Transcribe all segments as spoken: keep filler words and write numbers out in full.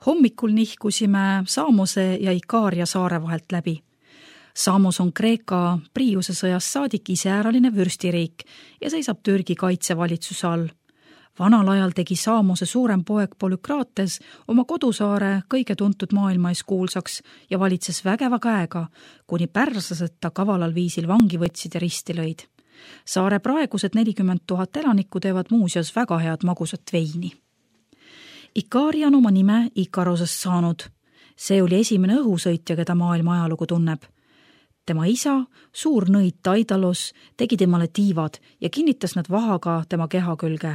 Hommikul nihkusime Samose ja Ikaria saare vahelt läbi. Samos on Kreeka Priiuse sõjas saadik iseäraline vürstiriik ja seisab Türgi kaitsevalitsuse all. Vanal ajal tegi Samose suurem poeg Polükrates oma kodusaare kõige tuntud maailmais kuulsaks ja valitses vägeva käega, kuni pärslased ta kavalal viisil vangi võtsid ja risti lõid. Saare praegused nelikümmend tuhat elanikku teevad muuseas väga head magusat veini. Ikaria on oma nime Ikarosest saanud. See oli esimene õhusõitja, keda maailma ajalugu tunneb. Tema isa, suur nõid Daidalos, tegi temale tiivad ja kinnitas nad vahaga tema keha külge.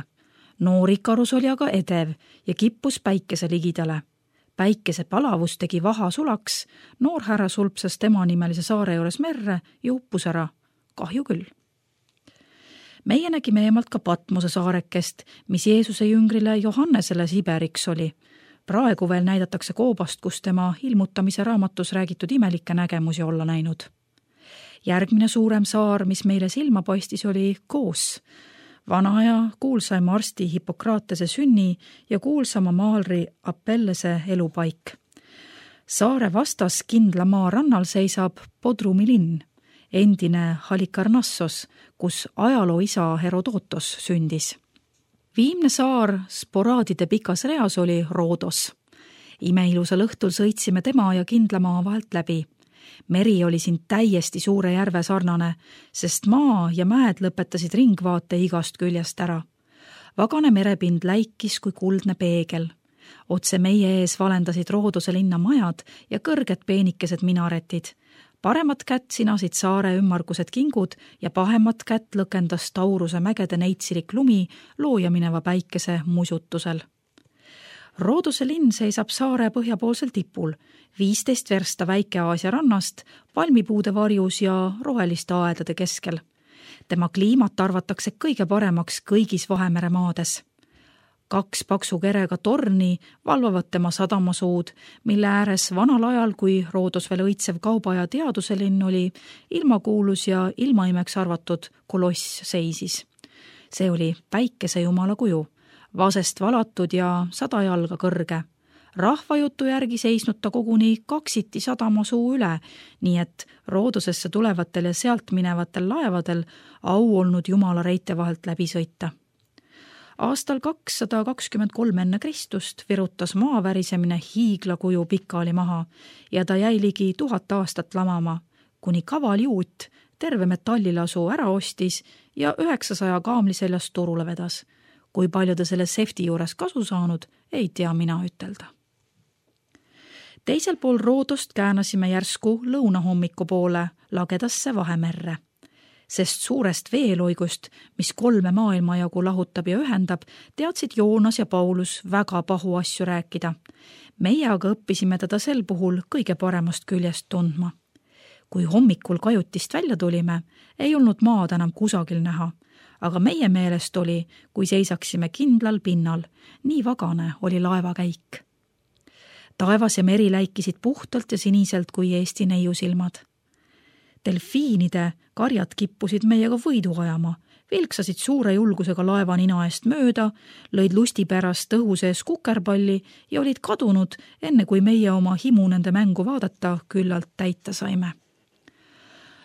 Noor Ikarus oli aga edev ja kippus päikese ligidale. Päikese palavus tegi vaha sulaks, noor härra sulpsas tema nimelise saare juures merre ja uppus ära. Kahju küll. Meie nägime eemalt ka Patmose saarekest, mis Jeesuse jüngrile Johannesele Siberiks oli. Praegu veel näidatakse koobast, kus tema ilmutamise raamatus räägitud imelikke nägemusi olla näinud. Järgmine suurem saar, mis meile silma paistis, oli Koos. Vanaja kuulsaima arsti Hippokratese sünni ja kuulsama maalri Apellese elupaik. Saare vastas kindla maa rannal seisab Bodrumi linn, endine Halikarnassos, kus ajaloo isa Herodotos sündis. Viimne saar sporaadide pikas reas oli Roodos. Imeilusal õhtul sõitsime tema ja kindla maa vahelt läbi. Meri oli siin täiesti suure järve sarnane, sest maa ja mäed lõpetasid ringvaate igast küljest ära. Vagane merepind läikis kui kuldne peegel. Otse meie ees valendasid Roodose linna majad ja kõrged peenikesed minaretid. Paremat kätt sinasid saare ümmargused kingud ja pahemat kätt lõkendas Tauruse mägede neitsilik lumi looja mineva päikese musutusel. Roodose linn seisab saare põhjapoolsel tipul, viisteist versta Väike-Aasia rannast, palmipuude varjus ja roheliste aedade keskel. Tema kliimat arvatakse kõige paremaks kõigis Vahemere maades. Kaks paksu kerega torni valvavad tema sadamasuud, mille ääres vanal ajal, kui Roodos veel õitsev kauba ja teaduse linn oli, ilmakuulus ja ilmaimeks arvatud koloss seisis. See oli päikese jumala kuju, vasest valatud ja sada jalga kõrge. Rahvajutu järgi seisnud ta koguni kaksiti sadamasuu üle, nii et Roodosesse tulevatel ja sealt minevatel laevadel au olnud jumala reite vahelt läbi sõita. Aastal kakssada kakskümmend kolm enne Kristust virutas maa värisemine hiiglakuju pikali maha ja ta jäi ligi tuhat aastat lamama, kuni kaval juut terve metallilasu ära ostis ja üheksasaja kaamli seljast turule vedas. Kui palju ta selle sefti juures kasu saanud, ei tea mina ütelda. Teisel pool Roodost käänasime järsku lõunahommiku poole lagedasse Vahemerre. Sest suurest veeloigust, mis kolme maailmajagu lahutab ja ühendab, teadsid Joonas ja Paulus väga pahu asju rääkida. Meie aga õppisime teda sel puhul kõige paremast küljest tundma. Kui hommikul kajutist välja tulime, ei olnud maad enam kusagil näha, aga meie meelest oli, kui seisaksime kindlal pinnal, nii vagane oli laevakäik. Taevas ja meri läikisid puhtalt ja siniselt kui Eesti neiusilmad. Delfiinide karjad kippusid meiega võidu ajama, vilksasid suure julgusega laeva nina eest mööda, lõid lusti pärast õhu sees kukerpalli ja olid kadunud, enne kui meie oma himu nende mängu vaadata küllalt täita saime.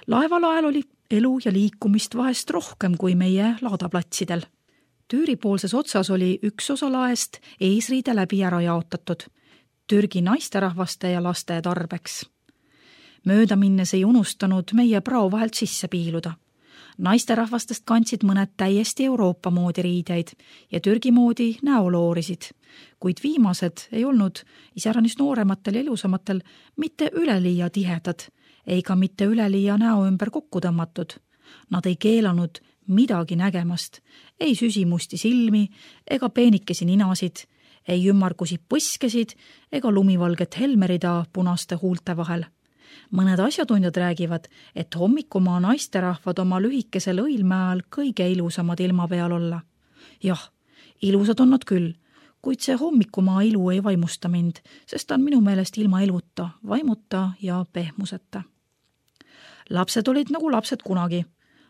Laevalael oli elu ja liikumist vahest rohkem kui meie laadaplatsidel. Tüüripoolses otsas oli üks osa laest eesriide läbi ära jaotatud, Türgi naisterahvaste ja laste tarbeks. Mööda minnes ei unustanud meie prao vahelt sisse piiluda. Naisterahvastest kandsid mõned täiesti Euroopa moodi riideid ja Türgi moodi näoloorisid, kuid viimased ei olnud iseäranis noorematel ja ilusamatel mitte üleliia tihedad, eiga mitte üleliia näo ümber kokku tõmmatud. Nad ei keelanud midagi nägemast, ei süsimusti silmi ega peenikesi ninasid, ei ümmargusi põskesid ega lumivalget helmerida punaste huulte vahel. Mõned asjatundjad räägivad, et hommikumaa naisterahvad oma lühikesel õilmäel kõige ilusamad ilma peal olla. Jah, ilusad on nad küll, kuid see hommikumaa ilu ei vaimusta mind, sest ta on minu meelest ilma iluta, vaimuta ja pehmuseta. Lapsed olid nagu lapsed kunagi.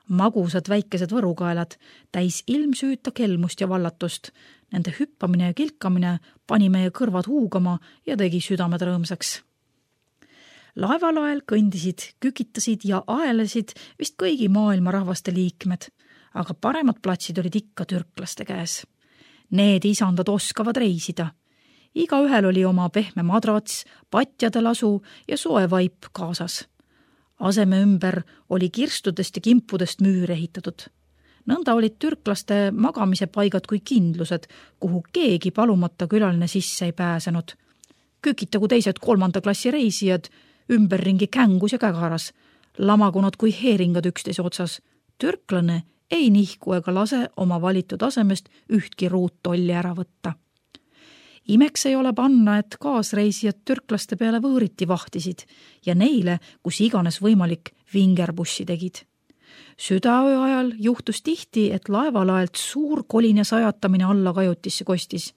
magusad väikesed võrukaelad, täis ilmsüüta kelmust ja vallatust. Nende hüppamine ja kilkamine pani meie kõrvad huugama ja tegi südamed rõõmsaks. Laevalael kõndisid, kükitasid ja aelesid vist kõigi maailma rahvaste liikmed, aga paremad platsid olid ikka türklaste käes. Need isandad oskavad reisida. Igaühel oli oma pehme madrats, patjade lasu ja soe vaip kaasas. Aseme ümber oli kirstudest ja kimpudest müür ehitatud. Nõnda olid türklaste magamise paigad kui kindlused, kuhu keegi palumata külaline sisse ei pääsenud. Kükitagu teised kolmanda klassi reisijad, ümberringi kängus ja kägaras, lamagunud kui heeringad üksteise otsas. Türklane ei nihku ega lase oma valitud asemest ühtki ruuttolli ära võtta. Imeks ei ole panna, et kaasreisijad türklaste peale võõriti vahtisid ja neile, kus iganes võimalik, vingerbussi tegid. Südaöö ajal juhtus tihti, et laevalaelt suur kolin ja sajatamine alla kajutisse kostis.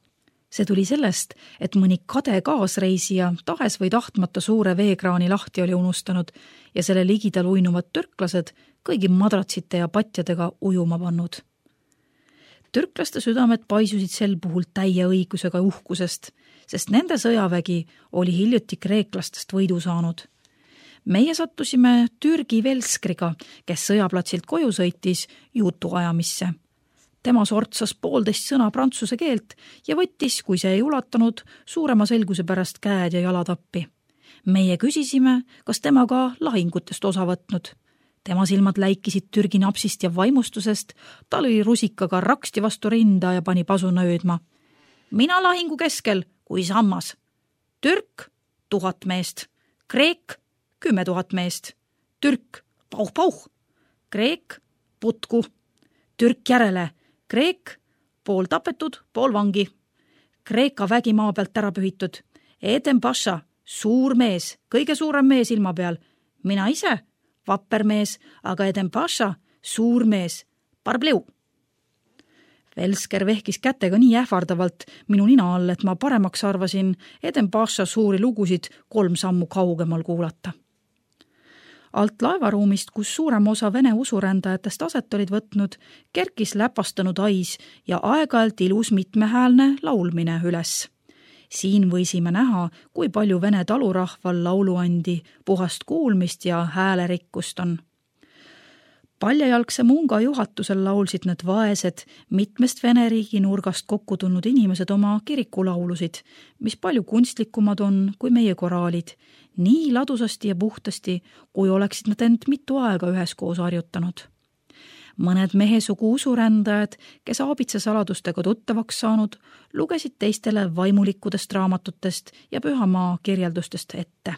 See tuli sellest, et mõni kade kaasreisija tahes või tahtmata suure veekraani lahti oli unustanud ja selle ligidal uinuvad türklased kõigi madratsite ja patjadega ujuma pannud. Türklaste südamed paisusid sel puhul täie õigusega uhkusest, sest nende sõjavägi oli hiljuti kreeklastest võidu saanud. Meie sattusime Türgi Velskriga, kes sõjaplatsilt koju sõitis jutuajamisse. Tema sortsas poolteist sõna prantsuse keelt ja võttis, kui see ei ulatanud, suurema selguse pärast käed ja jalad appi. Meie küsisime, kas tema ka lahingutest osa võtnud. Tema silmad läikisid Türgi napsist ja vaimustusest, ta lõi rusikaga raksti vastu rinda ja pani pasuna öödma. Mina lahingu keskel, kui sammas. Türk, tuhat meest. Kreek, kümme tuhat meest. Türk, pauh, pauh. Kreek, putku. Türk järele. Kreek, pool tapetud, pool vangi. Kreeka vägi maa pealt ära pühitud. Eden Pasha, suur mees, kõige suurem mees ilma peal. Mina ise, vapper mees, aga Eden Pasha, suur mees. Parbleu. Velsker vehkis kätega nii ähvardavalt minu nina all, et ma paremaks arvasin Eden Pasha suuri lugusid kolm sammu kaugemal kuulata. Alt laevaruumist, kus suurem osa vene usurändajatest aset olid võtnud, kerkis läpastanud ais ja aeg-ajalt ilus mitmehäälne laulmine üles. Siin võisime näha, kui palju vene talurahval lauluandi, puhast kuulmist ja häälerikkust on. Paljajalgse munga juhatusel laulsid need vaesed, mitmest Vene riigi nurgast kokku tulnud inimesed oma kirikulaulusid, mis palju kunstlikumad on kui meie koraalid, nii ladusasti ja puhtasti, kui oleksid nad end mitu aega üheskoos harjutanud. Mõned mehesugu usurändajad, kes aabitse saladustega tuttavaks saanud, lugesid teistele vaimulikudest raamatutest ja pühamaa kirjeldustest ette.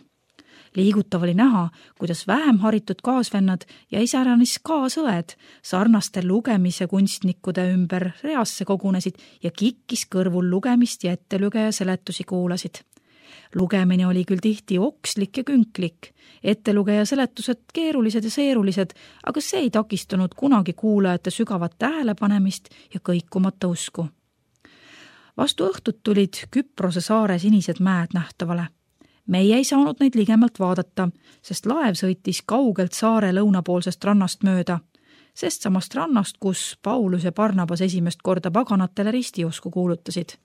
Liigutav oli näha, kuidas vähem haritud kaasvennad ja isäranis kaasõed sarnaste lugemise kunstnikude ümber reasse kogunesid ja kikkis kõrvul lugemist ja ettelügeja seletusi kuulasid. Lugemine oli küll tihti okslik ja künklik, ettelugeja seletused keerulised ja seerulised, aga see ei takistanud kunagi kuulajate sügavat tähelepanemist ja kõikumata usku. Vastu õhtut tulid Küprose saare sinised mäed nähtavale. Meie ei saanud neid ligemalt vaadata, sest laev sõitis kaugelt saare lõunapoolsest rannast mööda, sest samast rannast, kus Paulus ja Barnabas esimest korda paganatele ristiusku kuulutasid.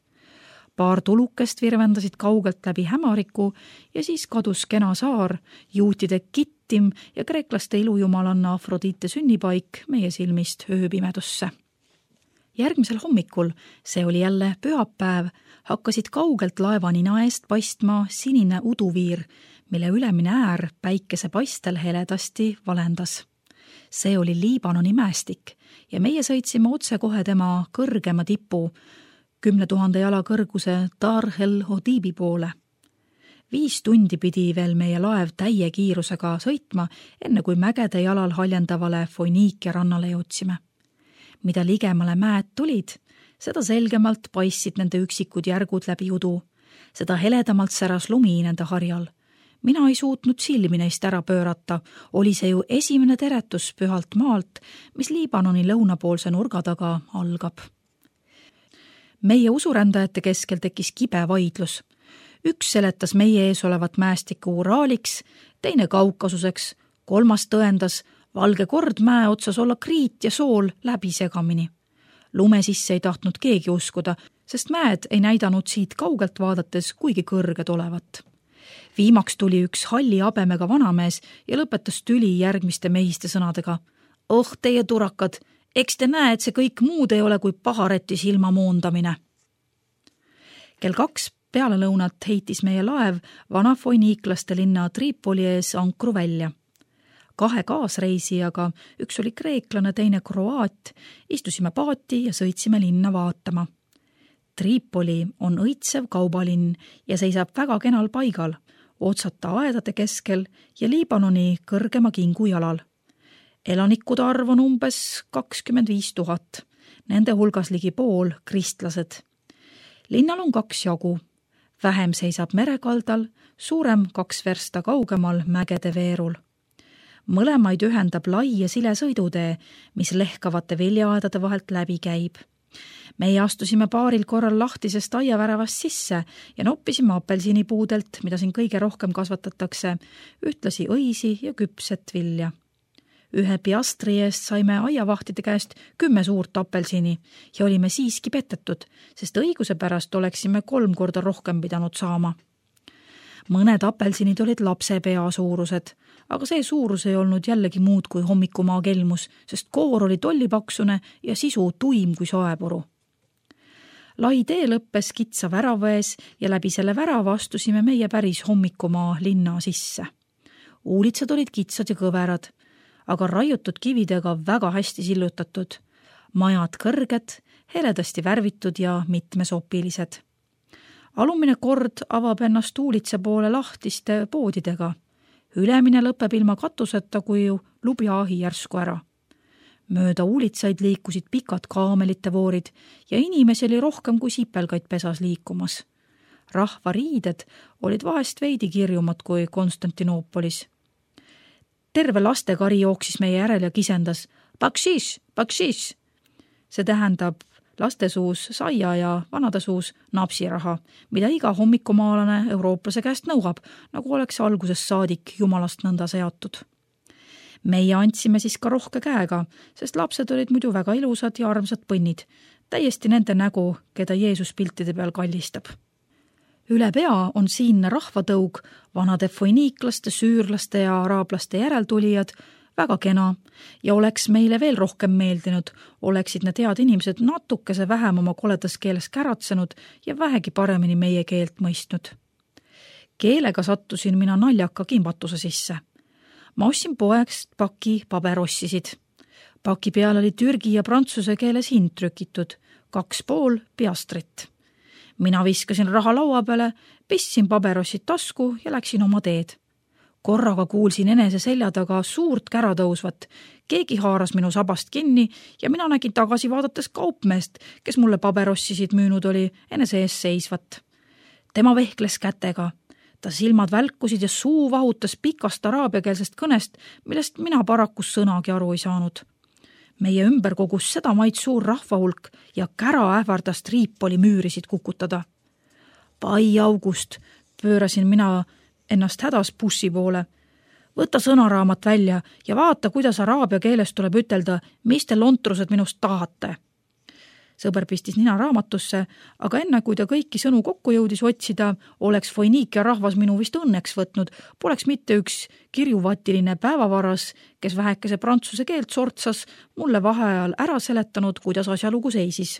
Paar tulukest virvendasid kaugelt läbi hämariku ja siis kadus kena saar, juutide Kittim ja kreeklaste ilujumalanna Afrodite sünnipaik meie silmist ööpimedusse. Järgmisel hommikul, see oli jälle pühapäev, hakkasid kaugelt laevanina eest paistma sinine uduviir, mille ülemine äär päikese paistel heledasti valendas. See oli Liibanoni mäestik ja meie sõitsime otse kohe tema kõrgema tipu, kümne tuhande jala kõrguse Dar el Hodibi poole. Viis tundi pidi veel meie laev täie kiirusega sõitma, enne kui mägede jalal haljendavale Foiniikia rannale jõudsime. Mida ligemale mäed tulid, seda selgemalt paistsid nende üksikud järgud läbi udu, seda heledamalt säras lumi nende harjal. Mina ei suutnud silmi neist ära pöörata, oli see ju esimene teretus pühalt maalt, mis Liibanoni lõunapoolse nurga taga algab. Meie usurändajate keskel tekkis kibe vaidlus. Üks seletas meie ees olevat mäestikku Uraaliks, teine Kaukasuseks, kolmas tõendas Valge kord mäe otsas olla kriit ja sool läbi segamini. Lume sisse ei tahtnud keegi uskuda, sest mäed ei näidanud siit kaugelt vaadates kuigi kõrged olevat. Viimaks tuli üks halli habemega vanamees ja lõpetas tüli järgmiste mehiste sõnadega. Oh, teie turakad, eks te näe, et see kõik muud ei ole kui pahareti silma moondamine. Kell kaks peale lõunat heitis meie laev vana foiniiklaste linna Tripoli ees ankru välja. Kahe kaasreisijaga, üks oli kreeklane, teine kroaat, istusime paati ja sõitsime linna vaatama. Tripoli on õitsev kaubalinn ja seisab väga kenal paigal, otsata aedade keskel ja Liibanoni kõrgema kingu jalal. Elanikude arv on umbes kakskümmend viis tuhat, nende hulgas ligi pool kristlased. Linnal on kaks jagu. Vähem seisab merekaldal, suurem kaks versta kaugemal mägede veerul. Mõlemaid ühendab lai ja sile sõidutee, mis lehkavate viljaaedade vahelt läbi käib. Meie astusime paaril korral lahtisest aiaväravast sisse ja noppisime apelsinipuudelt, mida siin kõige rohkem kasvatatakse, ühtlasi õisi ja küpset vilja. Ühe piastri eest saime aiavahtide käest kümme suurt apelsini ja olime siiski petetud, sest õiguse pärast oleksime kolm korda rohkem pidanud saama. Mõned apelsinid olid lapse pea suurused, aga see suurus ei olnud jällegi muud kui hommikumaa kelmus, sest koor oli tollipaksune ja sisu tuim kui soepuru. Lai tee lõppes kitsa väravaes ja läbi selle värava astusime meie päris hommikumaa linna sisse. Uulitsad olid kitsad ja kõverad, aga raiutud kividega väga hästi sillutatud. Majad kõrged, heledasti värvitud ja mitmesopilised. Alumine kord avab ennast uulitse poole lahtiste poodidega. Ülemine lõpeb ilma katuseta, kui lubjaahi järsku ära. Mööda uulitsaid liikusid pikad kaamelite voorid ja inimesi oli rohkem kui sipelgaid pesas liikumas. Rahva riided olid vahest veidi kirjumad kui Konstantinoopolis. Terve lastekari jooksis meie järel ja kisendas Bakshish, bakshish. See tähendab laste suus saia ja vanade suus napsiraha, mida iga hommikumaalane eurooplase käest nõuab, nagu oleks alguses saadik jumalast nõnda seatud. Meie andsime siis ka rohke käega, sest lapsed olid muidu väga ilusad ja armsad põnnid, täiesti nende nägu, keda Jeesus piltide peal kallistab. Üle pea on siinne rahvatõug, vanade foiniiklaste, süürlaste ja araablaste järeltulijad, väga kena ja oleks meile veel rohkem meeldinud, oleksid need head inimesed natukese vähem oma koledas keeles käratsenud ja vähegi paremini meie keelt mõistnud. Keelega sattusin mina naljaka kimbatuse sisse. Ma ostsin poegst paki paberossisid. Paki peal oli türgi ja prantsuse keeles hind trükitud, kaks pool piastrit. Mina viskasin raha laua peale, pistsin paberossid tasku ja läksin oma teed. Korraga kuulsin enese selja taga suurt kära tõusvat. Keegi haaras minu sabast kinni ja mina nägin tagasi vaadates kaupmeest, kes mulle paberossisid müünud oli enese ees seisvat. Tema vehkles kätega. Ta silmad välkusid ja suu vahutas pikast araabiakeelsest kõnest, millest mina parakus sõnagi aru ei saanud. Meie ümber kogus seda maid suur rahvahulk ja kära ähvardas Tripoli müürisid kukutada. Pai August, pöörasin mina ennast hädas bussi poole. Võta sõnaraamat välja ja vaata, kuidas araabia keeles tuleb ütelda, mis te lontrused minust tahate. Sõber pistis nina raamatusse, aga enne kui ta kõiki sõnu kokku jõudis otsida, oleks foiniikia rahvas minu vist õnneks võtnud, poleks mitte üks kirjuvatiline päevavaras, kes vähekese prantsuse keelt sortsas, mulle vaheajal ära seletanud, kuidas asjalugu seisis.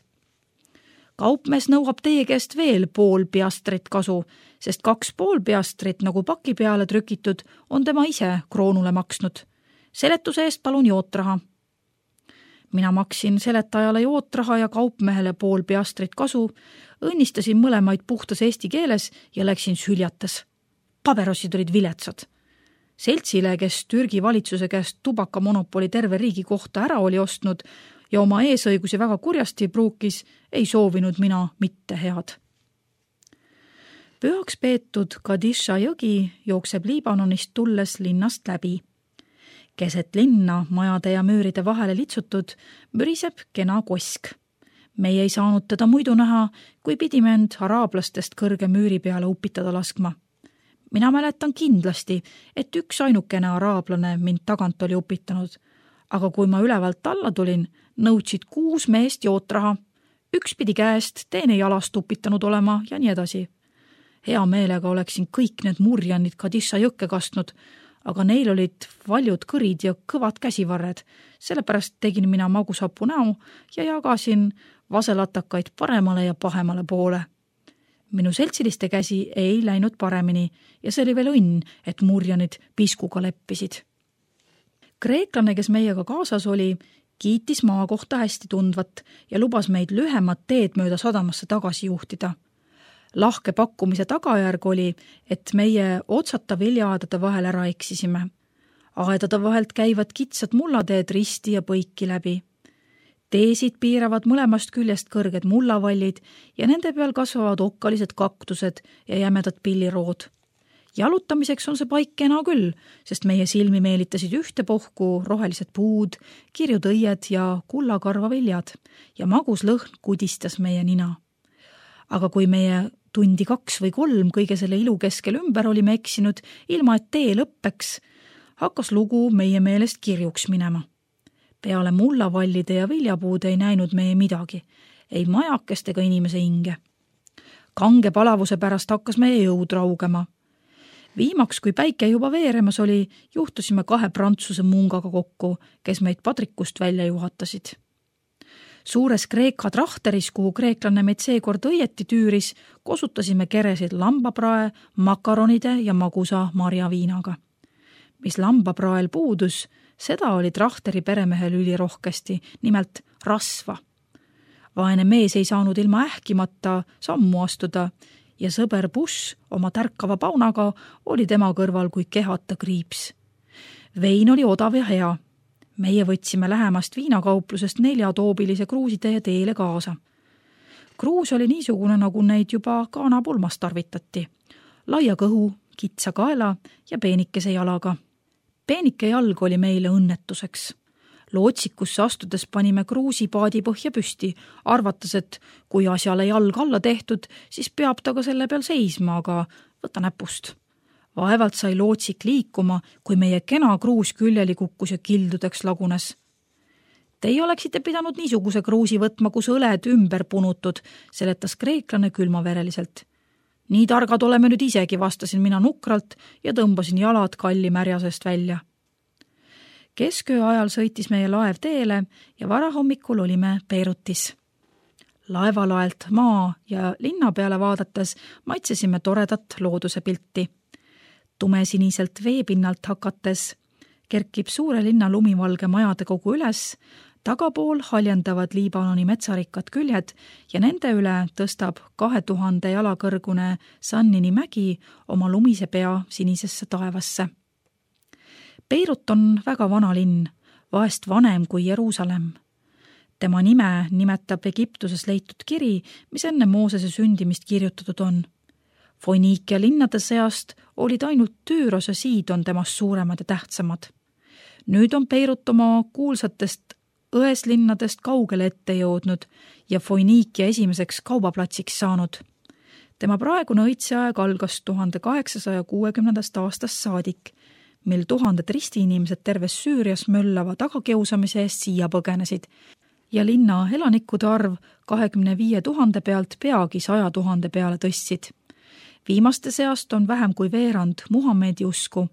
Kaupmees nõuab teie käest veel pool piastrit kasu, sest kaks pool piastrit, nagu paki peale trükitud, on tema ise kroonule maksnud. Seletuse eest palun jootraha. Mina maksin seletajale jootraha ja kaupmehele pool piastrit kasu, õnnistasin mõlemaid puhtas eesti keeles ja läksin süljates. Paberossid olid viletsad. Seltsile, kes Türgi valitsuse käest tubakamonopoli terve riigi kohta ära oli ostnud ja oma eesõigusi väga kurjasti pruukis, ei soovinud mina mitte head. Pühaks peetud Kadisha jõgi jookseb Liibanonist tulles linnast läbi. Keset linna, majade ja müüride vahele litsutud, müriseb kena kosk. Meie ei saanud teda muidu näha, kui pidime end araablastest kõrge müüri peale upitada laskma. Mina mäletan kindlasti, et üks ainukene araablane mind tagant oli upitanud, aga kui ma ülevalt alla tulin, nõudsid kuus meest jootraha, üks pidi käest, teine jalast upitanud olema ja nii edasi. Hea meelega oleksin kõik need murjanid Kadissa jõkke kastnud, aga neil olid valjud kõrid ja kõvad käsivarred, sellepärast tegin mina magusapu näo ja jagasin vaselatakaid paremale ja pahemale poole. Minu seltsiliste käsi ei läinud paremini ja see oli veel õnn, et murjanid piskuga leppisid. Kreeklane, kes meiega kaasas oli, kiitis maa kohta hästi tundvat ja lubas meid lühemat teed mööda sadamasse tagasi juhtida. Lahke pakkumise tagajärg oli, et meie otsata viljaaedade vahel ära eksisime. Aedade vahelt käivad kitsad mullateed risti ja põiki läbi. Teesid piiravad mõlemast küljest kõrged mullavallid ja nende peal kasvavad okkalised kaktused ja jämedad pillirood. Jalutamiseks on see paik kena küll, sest meie silmi meelitasid ühte pohku rohelised puud, kirjud õied ja kullakarvaviljad ja magus lõhn kudistas meie nina. Aga kui meie tundi kaks või kolm kõige selle ilu keskel ümber olime eksinud, ilma et tee lõppeks, hakkas lugu meie meelest kirjuks minema. Peale mullavallide ja viljapuude ei näinud meie midagi, ei majakest ega inimese hinge. Kange palavuse pärast hakkas meie jõud raugema. Viimaks, kui päike juba veeremas oli, juhtusime kahe prantsuse mungaga kokku, kes meid padrikust välja juhatasid. Suures Kreeka trahteris, kuhu kreeklane meid seekord õieti tüüris, kosutasime keresid lambaprae, makaronide ja magusa marjaviinaga. Mis lambaprael puudus, seda oli trahteri peremehel ülirohkesti, nimelt rasva. Vaene mees ei saanud ilma ähkimata sammu astuda ja sõber Bush oma tärkava paunaga oli tema kõrval kui kehata kriips. Vein oli odav ja hea. Meie võtsime lähemast viinakauplusest neljatoobilise kruusitee teele kaasa. Kruus oli niisugune, nagu neid juba kaanapulmas tarvitati. Laia kõhu, kitsa kaela ja peenikese jalaga. Peenike jalg oli meile õnnetuseks. Lootsikusse astudes panime kruusi paadi põhja püsti, arvates, et kui asjale jalg alla tehtud, siis peab ta ka selle peal seisma, aga võta näpust. Vaevalt sai lootsik liikuma, kui meie kena kruus küljeli kukkus ja kildudeks lagunes. Teie oleksite pidanud niisuguse kruusi võtma, kus õled ümber punutud, seletas kreeklane külmavereliselt. Nii targad oleme nüüd isegi, vastasin mina nukralt ja tõmbasin jalad kalli märjasest välja. Kesköö ajal sõitis meie laev teele ja varahommikul olime Beirutis. Laevalaelt maa ja linna peale vaadates maitsesime toredat looduse pilti. Tumesiniselt veepinnalt hakates kerkib suure linna lumivalge majade kogu üles, tagapool haljendavad Liibanoni metsarikkad küljed ja nende üle tõstab kahe tuhande jala kõrgune Sannini mägi oma lumise pea sinisesse taevasse. Beirut on väga vana linn, vahest vanem kui Jeruusalemm. Tema nime nimetab Egiptuses leitud kiri, mis enne Moosese sündimist kirjutatud on. Foiniikia linnade seast olid ainult Tüüros ja Siidon temast suuremad ja tähtsamad. Nüüd on Beirut oma kuulsatest õeslinnadest kaugele ette jõudnud ja Foiniikia esimeseks kaubaplatsiks saanud. Tema praegune õitseaeg algas tuhande kaheksasaja kuuekümnendast aastast saadik, mil tuhanded ristiinimesed terves Süürias möllava tagakiusamise eest siia põgenesid ja linna elanikude arv kahekümne viie tuhande pealt peagi saja tuhande peale tõstsid. Viimaste seast on vähem kui veerand Muhamedi usku.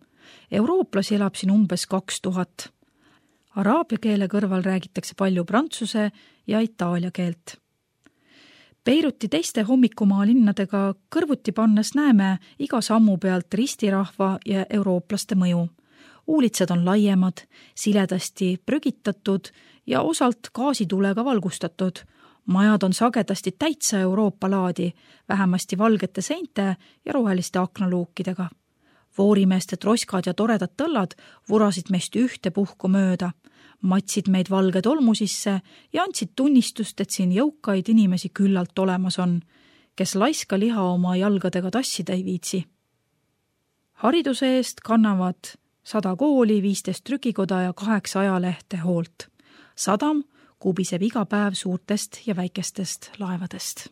Eurooplasi elab siin umbes kaks tuhat. Araabia keele kõrval räägitakse palju prantsuse ja itaalia keelt. Beiruti teiste hommikumaa linnadega kõrvuti pannes näeme iga sammu pealt ristirahva ja eurooplaste mõju. Uulitsad on laiemad, siledasti prügitatud ja osalt gaasitulega valgustatud. Majad on sagedasti täitsa Euroopa laadi, vähemasti valgete seinte ja roheliste aknaluukidega. Voorimeeste troskad ja toredad tõllad vurasid meist ühte puhku mööda, matsid meid valge tolmu sisse ja andsid tunnistust, et siin jõukaid inimesi küllalt olemas on, kes laiska liha oma jalgadega tassida ei viitsi. Hariduse eest kannavad sada kooli, viisteist trükikoda ja kaheksa ajalehte hoolt. Sadam kubiseb iga päev suurtest ja väikestest laevadest.